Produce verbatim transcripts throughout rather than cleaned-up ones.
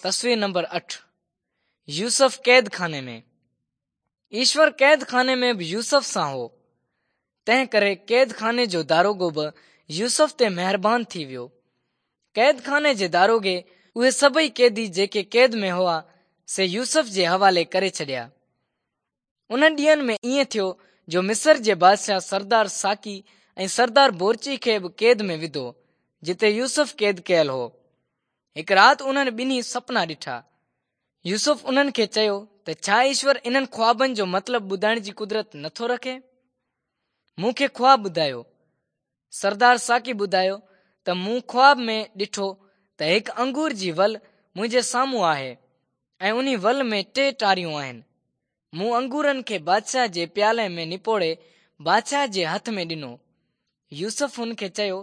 تصوير نمبر اٺ، يوسف قيد خاني ۾. ايشور قيد خاني ۾ به يوسف سان هو، تنهن ڪري قيد خاني جو داروغو به يوسف تي مهربان ٿي ويو. قيد خاني جي داروغي اهي سڀئي قيدي جيڪي قيد ۾ هئا، سي يوسف جي حوالي ڪري ڇڏيا. انهن ڏينهن ۾ ائين ٿيو جو مصر جي بادشاهه سردار ساقي ۽ سردار بورچي کي به قيد ۾ وڌو، جتي يوسف قيد ڪيل هو. هڪ رات انهن ٻنهي سپنا ڏٺا. يوسف انهن کي چيو ته ڇا ايشور انهن خوابن جو مطلب ٻڌائڻ جي قدرت نٿو رکي؟ مون کي خواب ٻڌايو. سردار ساقي ٻڌايو ته مون خواب ۾ ڏٺو ته هڪ انگور جي ول منهنجي سامهون آهي ۽ انهي ول ۾ ٽي ٽاريون آهن. مون انگورن کي بادشاهه جي پيالي ۾ نپوڙي بادشاهه جي هٿ ۾ ڏنو. يوسف هن کي چيو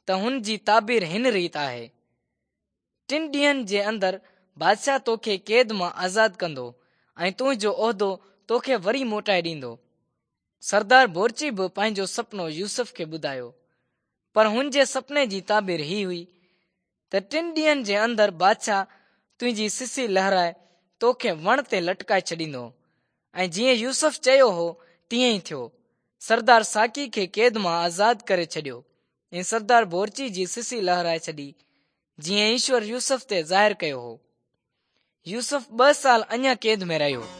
ته هن جي تعبير هن ريت آهي. ٽن ڏينهن جي اندر بادشاهه توکي قيد مان آزاد ڪندو ۽ تنهنجو عهدو توکي وري موٽائي ڏيندو. سردار بورچي به پنهنجو سپنو يوسف کي ٻڌايو، پر هن جي سپني جي تعبير هي هئي ته ٽن ڏينهن جي اندر بادشاهه تنهنجي سسي لهرائي توکي وڻ تي لٽڪائي ڇڏيندو. ۽ جيئن يوسف چيو هو تيئن ئي ٿيو. سردار ساقي کي قيد مان آزاد ڪري ڇڏيو ۽ سردار بورچي جي سسي لهرائي ڇڏي، جيئن ايشور يوسف تي ظاهر ڪيو هو. يوسف ٻه سال اڃا قيد ۾ رهيو.